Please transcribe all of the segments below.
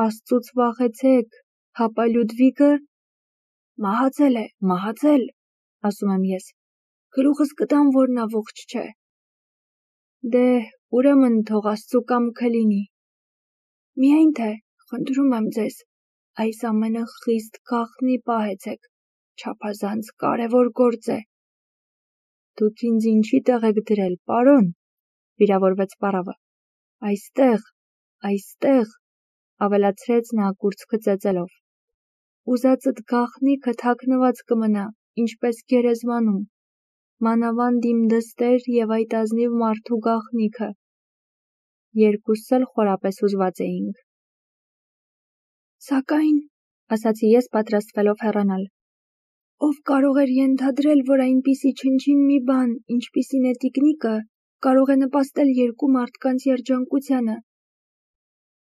Աստծուց վախեցեք, հապա Լյուդվիգը մահացել է, մահացել, ասում եմ ես, գլուխս կտամ, որ նա ողջ չէ։ Դե, ուրեմն թող Աստծու կամքը լինի։ Միայն թե, խնդրում եմ ձեզ, այս ամենը խիստ գաղտնի պահեցեք, չափազանց կարևոր գործ է։ Դուք ինձ ինչի տեղ եք դրել, պարոն, վիրավորվեց պարավը։ Այստեղ, ավելացրեց նա կուրծքը ծեծելով։ Ուզածդ գաղտնիքը թաքնված կմնա, ինչպես գերեզմանում, մանավանդ իմ դստեր և այդ ազնիվ մարդու գաղտնիքը։ Երկուսս էլ խորապես հուզված էինք։ Սակայն, ասացի ես պատրաստվելով հեռանալ, ով կարող էր ենթադրել, որ այնպիսի չնչին մի բան, ինչպիսին է տիկնիկը, կարող է նպաստել երկու մարդկանց երջանկությանը։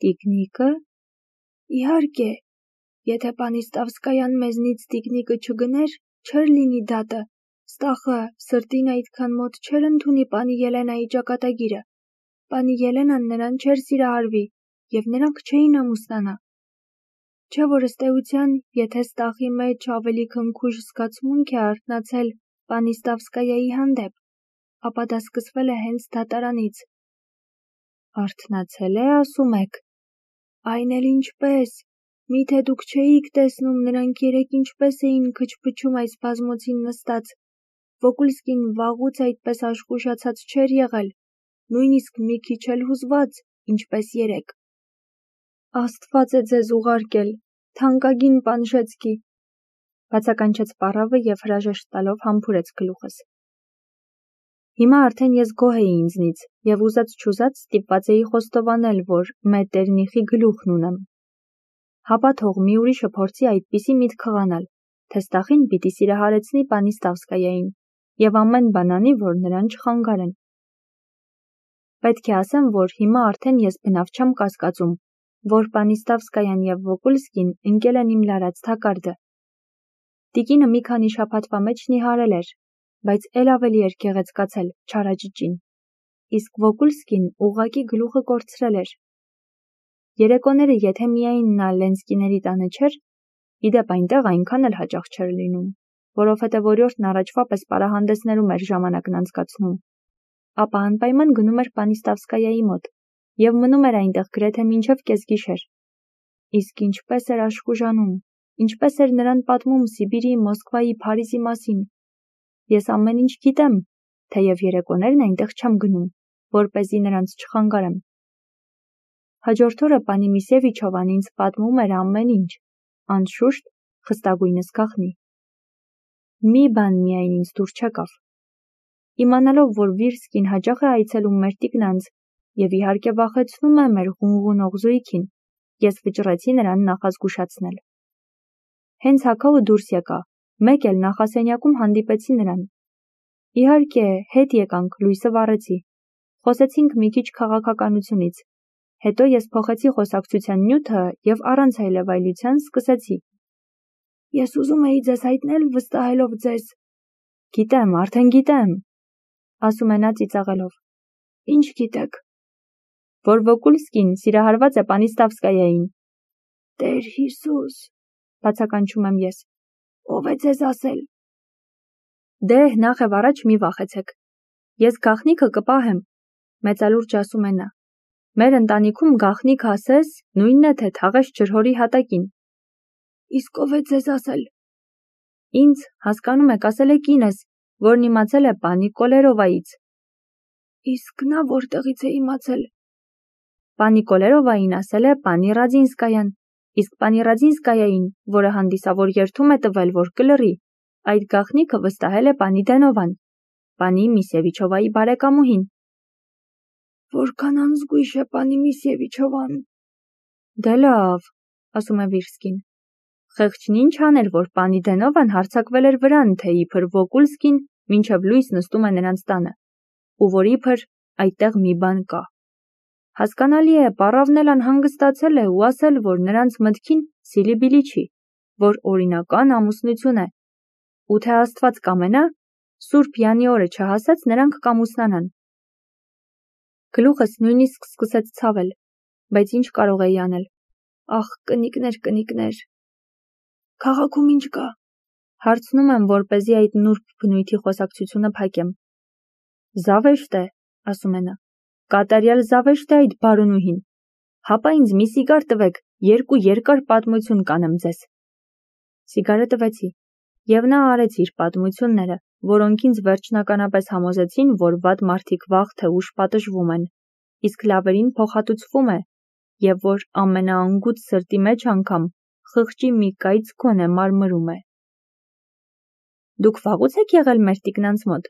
Տիկնիկը։ Իհարկե, եթե Պանիստավսկայան մեզնից տիկնիկը չգներ, չէր լինի դատը, ստախը սրտին այդքան մոտ չէր ընդունի պանի Ելենայի ճակատագիրը, պանի Ելենան նրան չէր սիրահարվի, և նրանք չէին ամուսնանա։ Չէ որ ըստ էության, եթե ստախի մեջ ավելի քնքուշ զգացմունք է արթնացել Պանիստավսկայայի հանդեպ, ապա դա սկսվել է հենց դատարանից։ Արթնացել է, ասում եք։ Այն էլ ինչպես, միթե դուք չէիք տեսնում նրանք երեկ ինչպես էին քչփչում այս բազմոցին նստած, Վոկուլսկին վաղուց այդպես աշխուժացած չէր եղել, նույնիսկ մի քիչ էլ հուզված, ինչպես երեկ։ Աստված է ձեզ ուղարկել, թանկագին Պանշեցկի, բացականչեց պարավը և հրաժեշտ տալով համբուրեց գլուխս։ Հիմա արդեն ես գոհ էի ինձնից և ուզած-չուզած ստիպված էի խոստովանել, որ Մետերնիխի գլուխն ունեմ։ Հապա թող մի ուրիշը փորձի այդպիսի միտք խղանալ, թե ստախին պիտի սիրահարեցնի Պանիստավսկայային և ամեն բան անի, որ նրան չխանգարեն։ Պետք է ասեմ, որ հիմա արդեն ես բնավ չեմ կասկածում, որ Պանիստավսկայան և Վոկուլսկին ընկել են իմ լարած թակարդը։ Տիկինը մի քանի շաբաթվա մեջ նիհարել էր, բայց էլ ավելի էր գեղեցկացել, չարաճճին, իսկ Վոկուլսկին ուղղակի գլուխը կորցրել էր։ Երեկոները եթե միայն նա Լենսկիների տանը չէր, իդեպ այնտեղ այնքան էլ հաճախ չէր լինում, որովհետև օրիորդն առաջվա պես պարահանդեսներում էր ժամանակն անցկացնում, ապա անպայման գնում էր Պանիստավսկայայի մոտ և մնում էր այնտեղ գրեթե մինչև կեսգիշեր։ Իսկ ինչպես էր աշխուժանում, ինչպես էր նրան պատմում Սիբիրի, Մոսկվայի, Փարիզի մասին։ Ես ամեն ինչ գիտեմ, թեև երեկոներն այնտեղ չեմ գնում, որպեսզի նրանց չխանգարեմ։ Հաջորդ օրը պանի Միսևիչովան ինձ պատմում էր ամեն ինչ, անշուշտ, խստագույնս գաղտնի։ Մի բան միայն ինձ դուր չեկավ։ Իմանալով, որ Վիրսկին հաճախ է այցելում մեր տիկնանց և իհարկե վախեցնում է մեր ղունղունող զույգին, ես վճռեցի նրան նախազգուշացնել։ Հենց հագավը դուրս եկա, մեկ էլ նախասենյակում հանդիպեցի նրան։ Իհարկե, հետ եկանք, լույսը վառեցի։ Խոսեցինք մի քիչ քաղաքականությունից։ Հետո ես փոխեցի խոսակցության նյութը և առանց այլևայլության սկսեցի։ Ես ուզում էի ձեզ հայտնել, վստահելով ձեզ։ Գիտեմ, արդեն գիտեմ, ասում է նա ծիծաղելով։ Ինչ գիտեք։ Որ Վոկուլսկին սիրահարված է Պանիստավսկայային։ Տեր Հիսուս, բացականչում եմ ես, ով է ձեզ ասել։ Դե, նախ և առաջ մի վախեցեք։ Ես գաղտնիքը կպահեմ, մեծալուրջ ասում է նա։ Մեր ընտանիքում գաղտնիք ասես, նույնն է, թե թաղես ջրհորի հատակին։ Իսկ ով է ձեզ ասել։ Ինձ, հասկանում եք, ասել է կինս, որն իմացել է պանի Կոլերովայից։ Իսկ նա որտեղից է իմացել։ Պանի Կոլերովային ասել է պանի Ռադինսկայան, իսկ պանի Ռադինսկայային, որը հանդիսավոր երդում է տվել, որ կլռի, այդ գաղտնիքը վստահել է պանի Դենովան, պանի Միսևիչովայի բարեկամուհին։ Որքան անզգույշ է պանի Միսևիչովան։ Դե լավ, ասում է Վիրսկին։ Խեղճն ինչ աներ, որ պանի Դենովան հարձակվել էր վրան, թե իբր Վոկուլսկին մինչև լույս նստում է նրանց տանը, ու որ իբր այդտեղ մի բան կա։ Հասկանալի է, պարավն էլ անհանգստացել է ու ասել, որ նրանց մտքին սիլիբիլի չի, որ օրինական ամուսնություն է, ու թե Աստված կամենա, Սուրբ Յանի օրը չհասած նրանք կամուսնանան։ Գլուխս նույնիսկ սկսեց ցավել, բայց ինչ կարող էի անել։ Ախ, կնիկներ։ Քաղաքում ինչ կա։ Հարցնում եմ, որպեսզի այդ նուրբ բնույթի խոսակցությունը փակեմ։ Զավեշտ է, ասում է նա։ Կատարյալ զավեշտ է այդ բարոնուհին։ Հապա ինձ մի սիգար տվեք, 2 երկար պատմություն կանեմ ձեզ։ Սիգարը տվեցի, եւ նա արեց իր պատմությունները, որոնք ինձ վերջնականապես համոզեցին, որ վատ մարդիկ վաղ թե ուշ պատժվում են, իսկ լավերին փոխհատուցվում է, եւ որ ամենաանգութ սրտի մեջ անգամ խղճի մի կայծ գոնե մարմրում է։ Դուք վաղուց եք եղել մեր տիկնանց մոտ,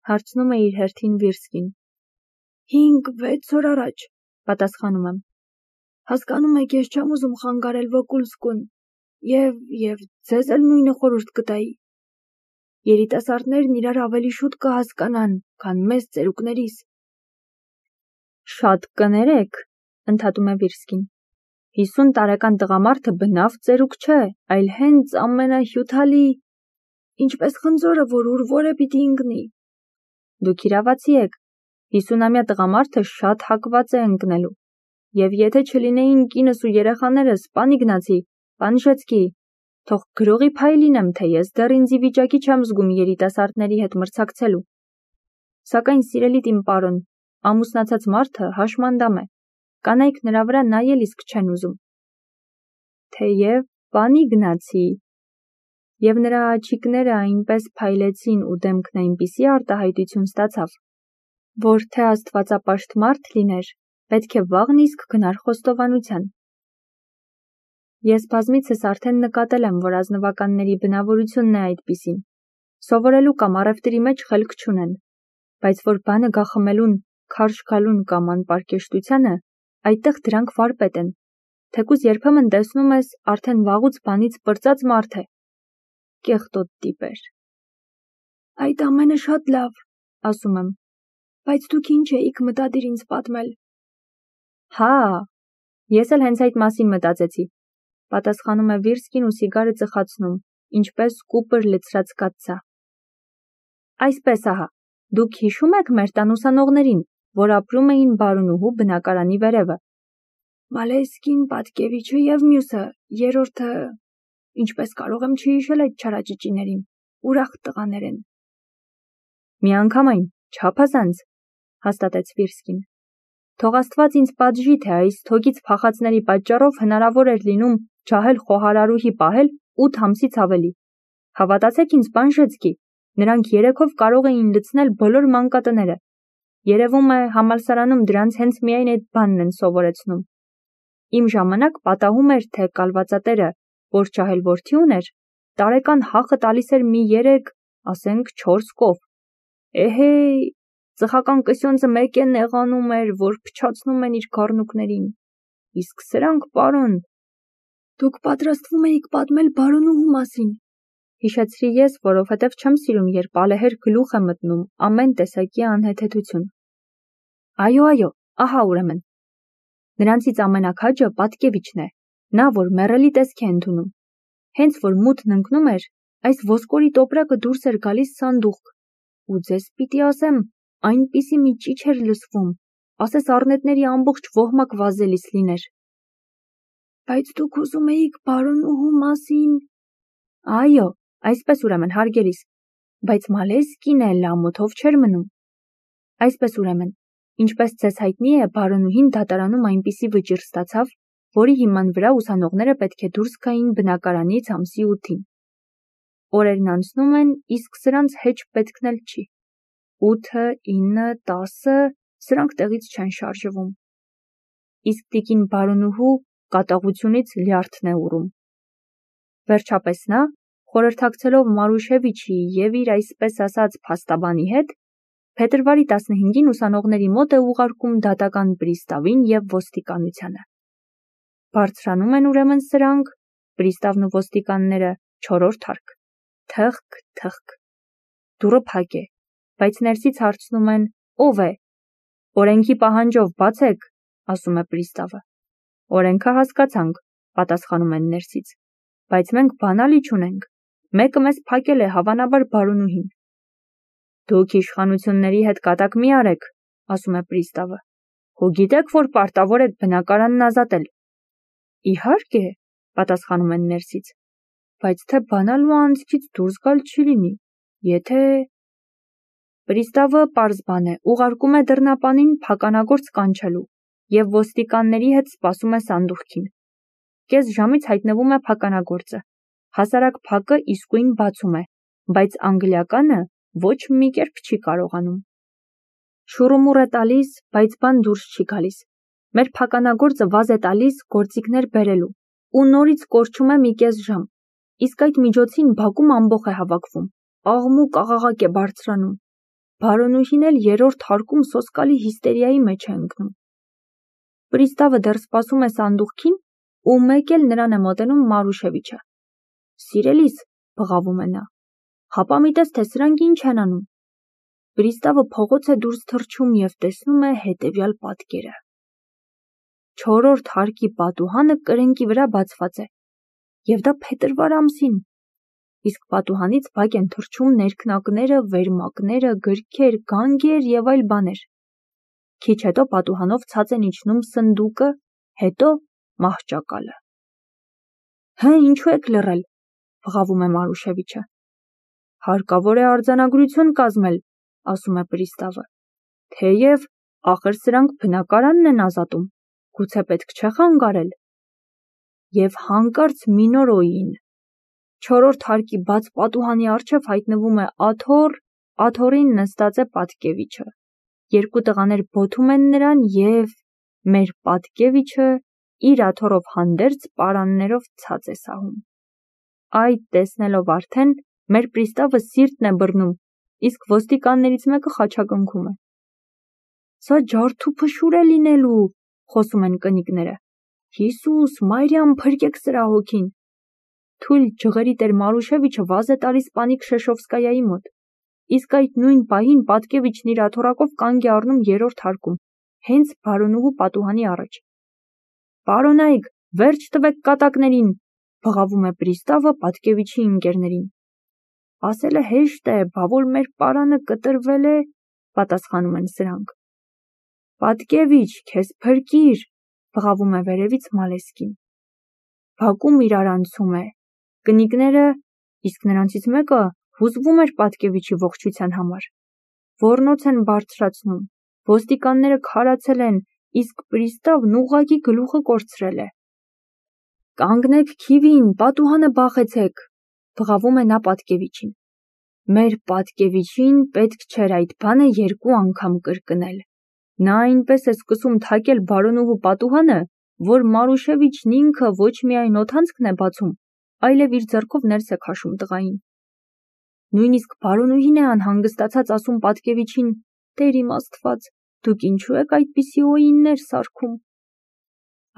հարցնում է իր հերթին Վիրսկին։ 5-6 օր առաջ, պատասխանում եմ։ Հասկանում եք, ես չեմ ուզում խանգարել Վոկուլսկուն, եւ ձեզ էլ նույնը խորհուրդ կտայի։ Երիտասարդներն իրար ավելի շուտ կհասկանան, քան մեզ ծերուկներիս։ Շատ կներեք, ընդհատում է Վիրսկին։ 50 տարեկան տղամարդը բնավ ծերուկ չէ, այլ հենց ամենահյութալի, ինչպես խնձորը, որ ուր է պիտի ընկնի։ Դուք իրավացի եք, 50-ամյա տղամարդը շատ հակված է ընկնելու, եւ եթե չլինեին կինս ու երեխաներս, պան Իգնացի, պան Ժեցկի, թող գրողի փայ լինեմ, թե ես դեռ ինձ ի վիճակի չեմ զգում երիտասարդների հետ մրցակցելու։ Սակայն սիրելի իմ պարոն, ամուսնացած մարդը հաշմանդամ է, կանայք նրա վրա նայել իսկ չեն ուզում։ Թեև պան Իգնացի, եւ նրա աչիկները այնպես փայլեցին ու դեմքն այնպիսի արտահայտություն ստացավ, որ թե աստվածապաշտ մարդ լիներ, պետք է վաղն իսկ գնար խոստովանության։ Ես բազմիցս արդեն նկատել եմ, որ ազնվականների բնավորությունն է այդպիսին, սովորելու կամ առևտրի մեջ խելք չունեն, բայց որ բանը գախմելուն, քարշ գալուն կամ անպարկեշտությանը, այդտեղ դրանք վարպետ են, թեկուզ երբեմն տեսնում ես արդեն վաղուց բանից պրծած մարդ է։ Կեղտոտ տիպեր։ Այդ ամենը շատ լավ, ասում եմ, բայց դուք ինչ էիք մտադիր ինձ պատմել։ Հա, ես էլ հենց այդ մասին մտածեցի, պատասխանում է Վիրսկին ու սիգարը ծխացնում, ինչպես կուպր լցրած կաթսա։ Այսպես ահա, դուք հիշում եք մեր տան ուսանողներին, որ ապրում էին բարոնուհու բնակարանի վերևը։ Մալեսկին, Պատկևիչը եւ մյուսը, երրորդը, ինչպես կարող եմ չհիշել այդ չարաճճիներին, ուրախ տղաներ են։ Միանգամայն, չափազանց, հաստատեց Վիրսկին։ Թող Աստված ինձ պատժի, թե այս թոկից փախածների պատճառով հնարավոր էր լինում ջահել խոհարարուհի պահել 8 ամսից ավելի։ Հավատացեք ինձ, պան Ժեցկի, նրանք 3-ով կարող էին լցնել բոլոր մանկատները։ Երևում է համալսարանում դրանց հենց միայն այդ բանն են սովորեցնում։ Իմ ժամանակ պատահում էր, թե կալվածատերը, որ ջահել որդի ուներ, տարեկան հախը տալիս էր մի 3, ասենք 4 կով։ Էհեյ, ծխական կսյոնցը մեկ է նեղանում էր, որ փչացնում են իր գառնուկներին։ Իսկ սրանք, պարոն, դուք պատրաստվում էիք պատմել բարոնուհու մասին, հիշեցրի ես, որովհետև չեմ սիրում, երբ ալեհեր գլուխ է մտնում ամեն տեսակի անհեթեթություն։ Այո, ահա ուրեմն։ Նրանցից ամենաքաջը Պատկևիչն է, նա, որ մեռելի տեսք է ընդունում։ Հենց որ մութն ընկնում էր, այս ոսկորի տոպրակը դուրս էր գալիս սանդուղք, ու ձեզ պիտի ասեմ, այնպիսի մի ճիչ էր լսվում, ասես առնետների ամբողջ ոհմակ վազելիս լիներ։ Բայց դուք ուզում էիք բարոնուհու մասին։ Այո, այսպես ուրեմն հարգելիս, բայց Մալեսկին էլ ամոթով չէր մնում։ Այսպես ուրեմն, ինչպես ձեզ հայտնի է, բարոնուհին դատարանում այնպիսի վճիռ ստացավ, որի հիման վրա ուսանողները պետք է դուրս գային բնակարանից ամսի 8-ին։ Օրերն անցնում են, իսկ սրանց հեչ պետքն էլ չի։ 8, 9, 10, սրանք տեղից չեն շարժվում։ Իսկ տիկին բարոնուհու կատաղությունից լյարդն է ուռում։ Վերջապես նա, խորհրդակցելով Մարուշևիչի եւ իր այսպես ասած փաստաբանի հետ, փետրվարի 15-ին ուսանողների մոտ է ուղարկում դատական պրիստավին եւ ոստիկանությանը։ Բարձրանում են ուրեմն սրանք, պրիստավն ու ոստիկանները 4-րդ հարկ։ Թխկ։ Դուռը փակ է, բայց ներսից հարցնում են. ով է։ Օրենքի պահանջով բացեք, ասում է պրիստավը։ Օրենքը հասկացանք, պատասխանում են ներսից, բայց մենք բանալի չունենք։ Մեկը մեզ փակել է, հավանաբար բարոնուհին։ Դուք իշխանությունների հետ կատակ մի արեք, ասում է պրիստավը։ Հո գիտեք, որ պարտավոր եք բնակարանն ազատել։ Իհարկե, պատասխանում են ներսից, բայց թե բանալ ու անձքից դուրս գալ չի լինի, եթե… Պրիստավը պարզ բան է, ուղարկում է դռնապանին փականագործ կանչելու և ոստիկանների հետ սպասում է սանդուղքին։ Կես ժամից հայտնվում է փականագործը, հասարակ փակը իսկույն բացում է, բայց անգլիականը ոչ մի կերպ չի կարողանում։ Շուռումուռ է տալիս, բայց բան դուրս չի գալիս։ Մեր փականագործը վազ է տալիս գործիքներ բերելու ու նորից կորչում է մի կես ժամ, իսկ այդ միջոցին բակում ամբոխ է հավաքվում, աղմուկ աղաղակ է բարձրանում։ Բարոնուհին էլ երրորդ հարկում սոսկալի հիստերիայի մեջ է ընկնում։ Պրիստավը դեռ սպասում է սանդուղքին ու մեկ էլ նրան է մոտենում Մարուշևիչը։ Սիրելիս, բղավում է նա, հապա մի տես, թե սրանք ինչ են անում։ Պրիստավը փողոց է դուրս թռչում և տեսնում է հետևյալ պատկերը։ Չորրորդ հարկի պատուհանը կրենկի վրա բացված է, և դա փետրվար ամսին, իսկ պատուհանից բակ են թռչում ներքնակները, վերմակները, գրքեր, գանգեր և այլ բաներ։ Քիչ հետո պատուհանով ցած են իջնում սնդուկը, հետո մահճակալը։ Հը, ինչու եք լռել, բղավում է Մարուշևիչը։ Հարկավոր է արձանագրություն կազմել, ասում է Պրիստավը, թեև ախր սրանք բնակարանն են ազատում, գուցե պետք չէ խանգարել։ Եվ հանկարծ մինորոին։ Չորրորդ հարկի բաց պատուհանի առջև հայտնվում է աթոռ, աթոռին նստած է Պատկևիչը։ Երկու տղաներ բոթում են նրան և մեր Պատկևիչը իր աթոռով հանդերձ պարաններով ցած է սահում։ Այդ տեսնելով արդեն մեր պրիստավը սիրտն է բռնում, իսկ ոստիկաններից մեկը խաչակնքում է։ Սա ջարդու փշուր է լինելու, խոսում են կնիկները։ Հիսուս, Մարիամ, փրկեք սրա հոգին։ Թույլ ջղերի տեր Մարուշևիչը վազ է տալիս պանի Քշեշովսկայայի մոտ, իսկ այդ նույն պահին Պատկևիչն իր աթոռակով կանգ է առնում երրորդ հարկում, հենց բարոնուհու պատուհանի առաջ։ Պարոնայք, վերջ տվեք կատակներին, բղավում է պրիստավը Պատկևիչի ընկերներին։ Ասելը հեշտ է, բա որ մեր պարանը կտրվել է, պատասխանում են սրանք։ Պատկևիչ, քեզ փրկիր, բղավում է վերևից Մալեսկին։ Բակում իրարանցում է։ Կնիկները, իսկ նրանցից մեկը հուզվում էր Պատկևիչի ողջության համար։ Ոռնոց են բարձրացնում, ոստիկանները քարացել են, իսկ պրիստավն ուղղակի գլուխը կորցրել է։ Կանգնեք քիվին, պատուհանը բախեցեք, բղավում է նա Պատկևիչին։ Մեր Պատկևիչին պետք չէր այդ բանը երկու անգամ կրկնել։ Նա այնպես է սկսում թակել բարոնուհու պատուհանը, որ Մարուշևիչն ինքը ոչ միայն օդանցքն է բացում, այլև իր ձեռքով ներս է քաշում տղային։ Նույնիսկ բարոնուհին է անհանգստացած ասում Պատկևիչին. «Տեր իմ Աստված, դուք ինչու եք այդպիսի օիններ սարքում»։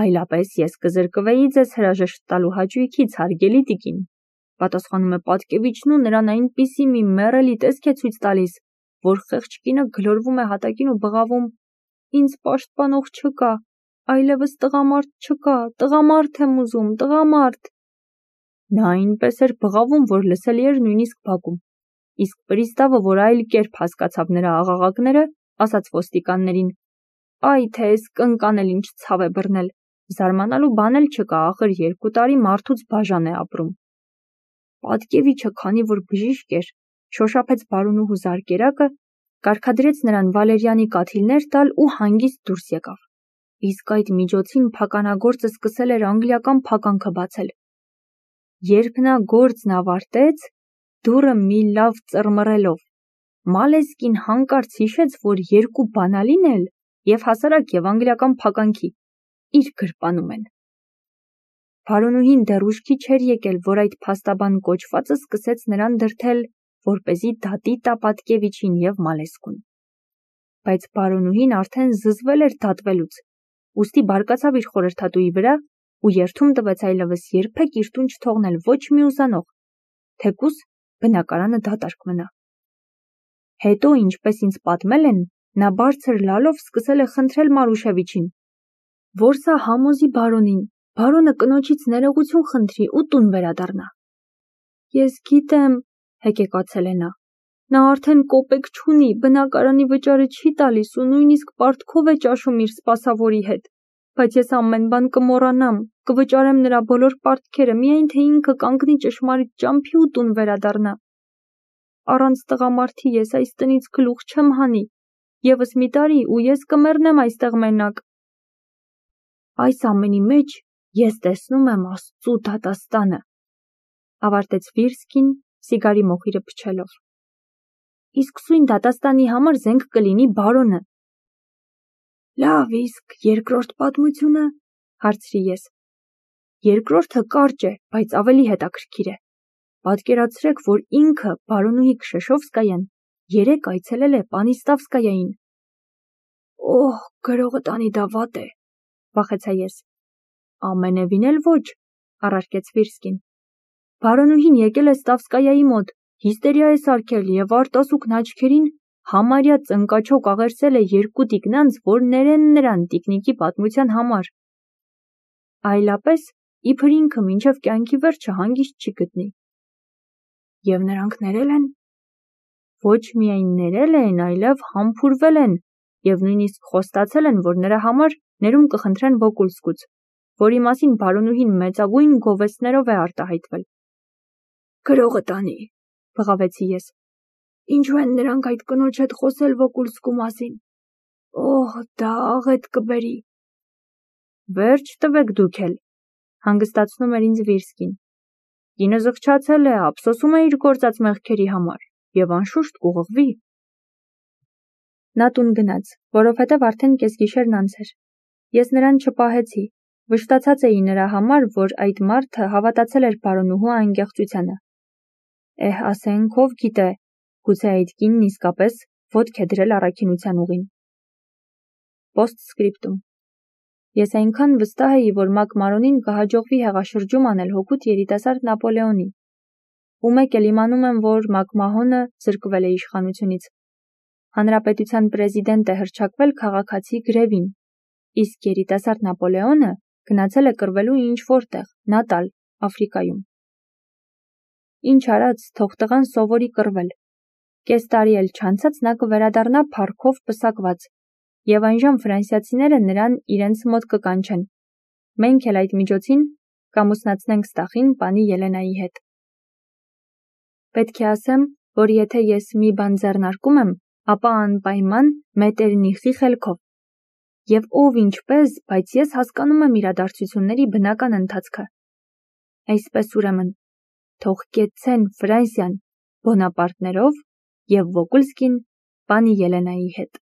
Այլապես ես կզրկվեի ձեզ հրաժեշտ տալու հաճույքից, հարգելի տիկին, պատասխանում է Պատկևիչն ու նրան այնպիսի մի մեռելի տեսք է ցույց տալիս, որ խեղճ կինը գլորվում է հատակին ու բղավում. «Ինձ պաշտպանող չկա, այլևս տղամարդ չկա, տղամարդ եմ ուզում, տղամարդ»։ Նա այնպես էր բղավում, որ լսելի էր նույնիսկ բակում, իսկ պրիստավը, որ այլ կերպ հասկացավ նրա աղաղակները, ասաց ոստիկաններին. «Այ թե էս կնկան էլ ինչ ցավ է բռնել, զարմանալու բան էլ չկա, ախր 2 տարի մարդուց բաժան է ապրում»։ Պատկևիչը, քանի որ բժիշկ էր, շոշափեց բարոնուհու զարկերակը, կարգադրեց նրան վալերիանի կաթիլներ տալ ու հանգիստ դուրս եկավ։ Իսկ այդ միջոցին փականագործը սկսել էր անգլիական փականքը բացել։ Երբ նա գործն ավարտեց, դուռը մի լավ ծռմռելով, Մալեսկին հանկարծ հիշեց, որ 2 բանալին էլ և հասարակ և անգլիական փականքի իր գրպանում են։ Բարոնուհին դեռ ուշքի չէր եկել, որ այդ փաստաբան կոչվածը սկսեց նրան դրդել, որպեսզի դատի տա Պատկևիչին և Մալեսկուն։ Բայց բարոնուհին արդեն զզվել էր դատվելուց, ուստի բարկացավ իր խորհրդատուի վրա ու երդում տվեց այլևս երբեք իր տուն չթողնել ոչ մի ուսանող, թեկուզ բնակարանը դատարկ մնա։ Հետո, ինչպես ինձ պատմել են, նա բարձր լալով սկսել է խնդրել Մարուշևիչին, որ սա համոզի բարոնին, բարոնը կնոջից ներողություն խնդրի ու տուն վերադառնա։ Ես գիտեմ, հեկեկացել է նա արդեն կոպեկ չունի, բնակարանի վճարը չի տալիս ու նույնիսկ պարտքով է ճաշում իր սպասավորի հետ, բայց ես ամեն բան կմոռանամ, կվճարեմ նրա բոլոր պարտքերը, միայն թե ինքը կանգնի ճշմարիտ ճամփի ու տուն վերադառնա։ Առանց տղամարդի ես այս տնից գլուխ չեմ հանի, ևս մի տարի ու ես կմեռնեմ այստեղ մենակ։ Այս ամենի մեջ ես տեսնում եմ Աստծու դատաստանը, ավարտեց Վիրսկին սիգարի մոխիրը փչելով։ Իսկ սույն դատաստանի համար զենք կլինի բարոնը։ Լավ, իսկ երկրորդ պատմությունը, հարցրի ես։ Երկրորդը կարճ է, բայց ավելի հետաքրքիր է։ Պատկերացրեք, որ ինքը բարոնուհի Քշեշովսկայան 3 այցելել է Պանիստավսկայային։ Օհ, գրողը տանի դա վատ է, վախեցա ես։ Ամենևին էլ ոչ, առարկեց Վիրսկին։ Բարոնուհին եկել է Ստավսկայայի մոտ, հիստերիա է սարքել եւ արտասուքն աչքերին համարյա ծնկաչոք աղերսել է 2 տիկնանց, որ ներեն նրան տիկնիկի պատմության համար։ Այլապես իբր ինքը մինչև կյանքի վերջը հանգիստ չի գտնի։ Եվ նրանք ներել են։ Ոչ միայն ներել են, այլև համբուրվել են եւ նույնիսկ խոստացել են, որ նրա համար ներում կխնդրեն Վոկուլսկուց, որի մասին բարոնուհին մեծագույն գովեստներով է արտահայտվել։ Գրողը տանի, բղավեցի ես։ Ինչու են նրանք այդ կնոջ հետ խոսել Վոկուլսկու մասին։ Օհ, դա աղետ կբերի։ Վերջ տվեք դուք էլ, հանգստացնում էր ինձ Վիրսկին։ Կինը զղջացել է, ափսոսում է իր գործած մեղքերի համար եւ անշուշտ կուղղվի։ Նա տուն գնաց, որովհետև արդեն կեսգիշերն անց էր։ Ես նրան չպահեցի, վշտացած էի նրա համար, որ այդ մարդը հավատացել էր բարոնուհու անկեղծությանը։ Ասենք ով գիտե, գուցե այդ կինն իսկապես ոտք է դրել առաքինության ուղին։ Պոստսկրիպտում։ Ես այնքան վստահ էի, որ Մակմարոնին կհաջողվի հեղաշրջում անել հօգուտ երիտասարդ Նապոլեոնի։ Ու մեկ էլ իմանում եմ, որ Մակմահոնը զրկվել է իշխանությունից։ Հանրապետության պրեզիդենտ է հռչակվել քաղաքացի գրևին, իսկ երիտասարդ Նապոլեոնը գնացել է կռվելու ինչ-որ տեղ, Նատալ, Աֆրիկայում։ Ինչ արած, թող տղան սովորի կռվել։ Կես տարի էլ չանցած նա կվերադառնա փառքով պսակված, եւ այնժամ ֆրանսիացիները նրան իրենց մոտ կկանչեն։ Մենք էլ այդ միջոցին կամուսնացնենք Ստախին պանի Ելենայի հետ։ Պետք է ասեմ, որ եթե ես մի բան ձեռնարկում եմ, ապա անպայման Մետերնիխի խելքով։ Եվ ով ինչպես, բայց ես հասկանում եմ իրադարձությունների բնական ընթացքը։ Այսպես ուրեմն, թող կեցցեն Ֆրանսիան Բոնապարտներով և Վոկուլսկին պանի Ելենայի հետ։